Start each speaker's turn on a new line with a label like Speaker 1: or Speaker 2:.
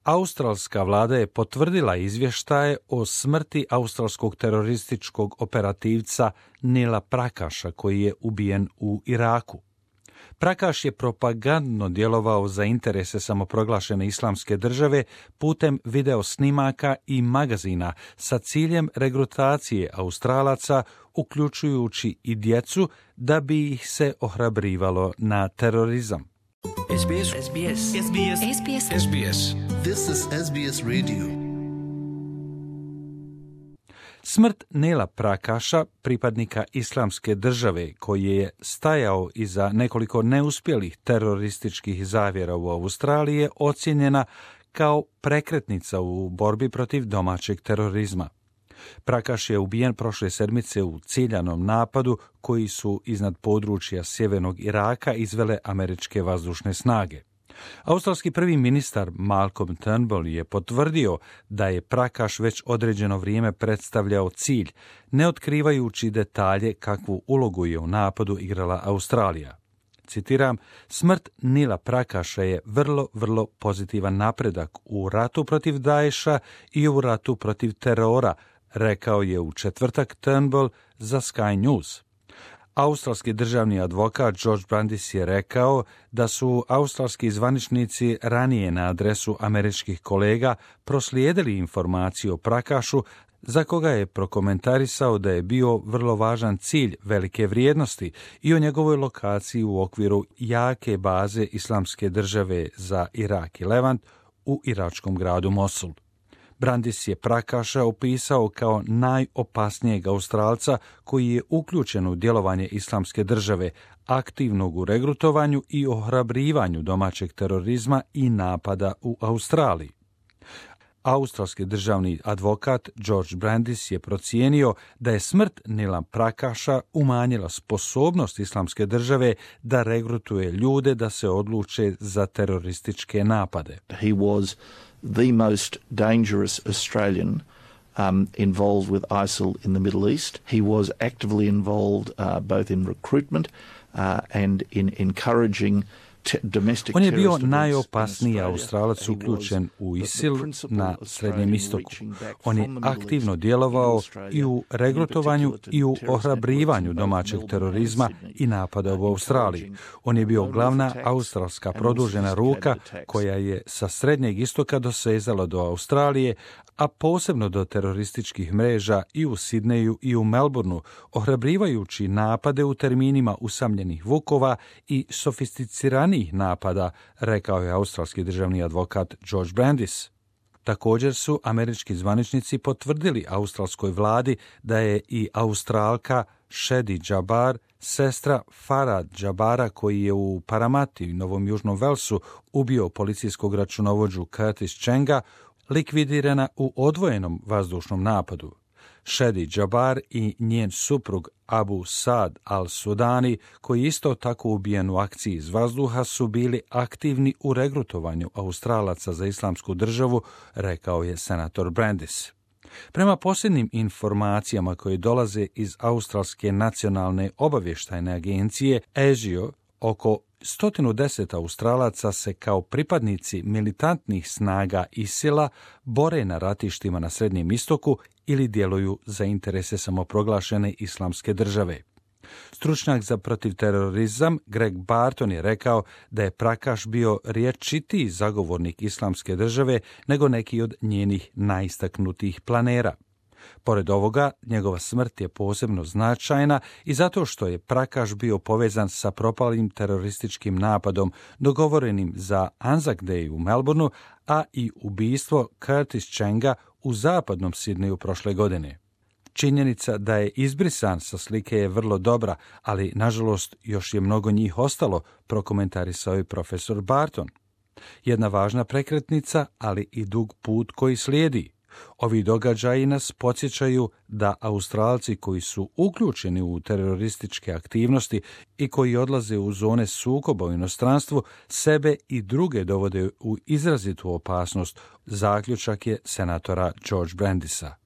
Speaker 1: Australska vlada je potvrdila izvještaje o smrti australskog terorističkog operativca Nila Prakasha, koji je ubijen u Iraku. Prakash je propagandno djelovao za interese samoproglašene islamske države putem video snimaka i magazina sa ciljem regrutacije Australaca, uključujući i djecu, da bi ih se ohrabrivalo na terorizam.
Speaker 2: SBS.
Speaker 3: This is SBS Radio.
Speaker 1: Smrt Nila Prakasha, pripadnika islamske države, koji je stajao iza nekoliko neuspjelih terorističkih zavjera u Australiji, je ocijenjena kao prekretnica u borbi protiv domaćeg terorizma. Prakash je ubijen prošle sedmice u ciljanom napadu koji su iznad područja sjevernog Iraka izvele američke vazdušne snage. Australski prvi ministar Malcolm Turnbull je potvrdio da je Prakash već određeno vrijeme predstavljao cilj, ne otkrivajući detalje kakvu ulogu je u napadu igrala Australija. Citiram, smrt Nila Prakasha je vrlo pozitivan napredak u ratu protiv Daesha i u ratu protiv terora, rekao je u četvrtak Turnbull za Sky News. Australski državni advokat George Brandis je rekao da su australski zvaničnici ranije na adresu američkih kolega proslijedili informaciju o Prakashu, za koga je prokomentarisao da je bio vrlo važan cilj velike vrijednosti i o njegovoj lokaciji u okviru jake baze islamske države za Irak i Levant u iračkom gradu Mosul. Brandis je Prakasha opisao kao najopasnijeg Australca koji je uključen u djelovanje islamske države, aktivnog u regrutovanju i ohrabrivanju domaćeg terorizma i napada u Australiji. Australski državni advokat George Brandis je procijenio da je smrt Nila Prakasha umanjila sposobnost islamske države da regrutuje ljude da se odluče za terorističke napade.
Speaker 4: He was the most dangerous Australian involved with ISIL in the Middle East. He was actively involved both in recruitment and in encouraging domestic
Speaker 1: On je bio
Speaker 4: terrorist
Speaker 1: najopasniji
Speaker 4: events in
Speaker 1: Australac
Speaker 4: Australia.
Speaker 1: uključen u ISIL
Speaker 4: The principal
Speaker 1: na
Speaker 4: Australian
Speaker 1: Srednjem istoku.
Speaker 4: reaching back
Speaker 1: On je
Speaker 4: from the Middle East
Speaker 1: aktivno
Speaker 4: in
Speaker 1: djelovao
Speaker 4: Australia,
Speaker 1: i u regrutovanju
Speaker 4: in particular
Speaker 1: i u
Speaker 4: to terrorist
Speaker 1: ohrabrivanju
Speaker 4: networks in
Speaker 1: domaćeg
Speaker 4: both
Speaker 1: terorizma
Speaker 4: Melbourne and Sydney,
Speaker 1: i napada u Australiji. On je bio glavna australska produžena ruka koja je sa Srednjeg istoka dosezala do Australije, a posebno do terorističkih mreža i u Sidneju i u Melbourneu, ohrabrivajući napade u terminima usamljenih vukova i sofisticiranijih napada, rekao je australski državni advokat George Brandis. Također su američki zvaničnici potvrdili australskoj vladi da je i Australka Shadi Jabbar, sestra Farhad Jabbara, koji je u Paramati, Novom Južnom Velsu, ubio policijskog računovođu Curtis Chenga, likvidirana u odvojenom vazdušnom napadu. Shadi Jabbar i njen suprug Abu Saad al-Sudani, koji isto tako ubijen u akciji iz vazduha, su bili aktivni u regrutovanju Australaca za islamsku državu, rekao je senator Brandis. Prema posljednjim informacijama koje dolaze iz Australske nacionalne obavještajne agencije ASIO, oko 110 Australaca se kao pripadnici militantnih snaga ISIL-a bore na ratištima na Srednjem istoku ili djeluju za interese samoproglašene islamske države. Stručnjak za protivterorizam Greg Barton je rekao da je Prakash bio rječitiji zagovornik islamske države nego neki od njenih najistaknutijih planera. Pored ovoga, njegova smrt je posebno značajna i zato što je Prakash bio povezan sa propalim terorističkim napadom dogovorenim za Anzac Day u Melbourneu, a i ubijstvo Curtis Chenga u zapadnom Sidneju prošle godine. Činjenica da je izbrisan sa slike je vrlo dobra, ali nažalost još je mnogo njih ostalo, prokomentarisao je profesor Barton. Jedna važna prekretnica, ali i dug put koji slijedi. Ovi događaji nas podsjećaju da Australci koji su uključeni u terorističke aktivnosti i koji odlaze u zone sukoba u inostranstvu, sebe i druge dovode u izrazitu opasnost, zaključak je senatora George Brandisa.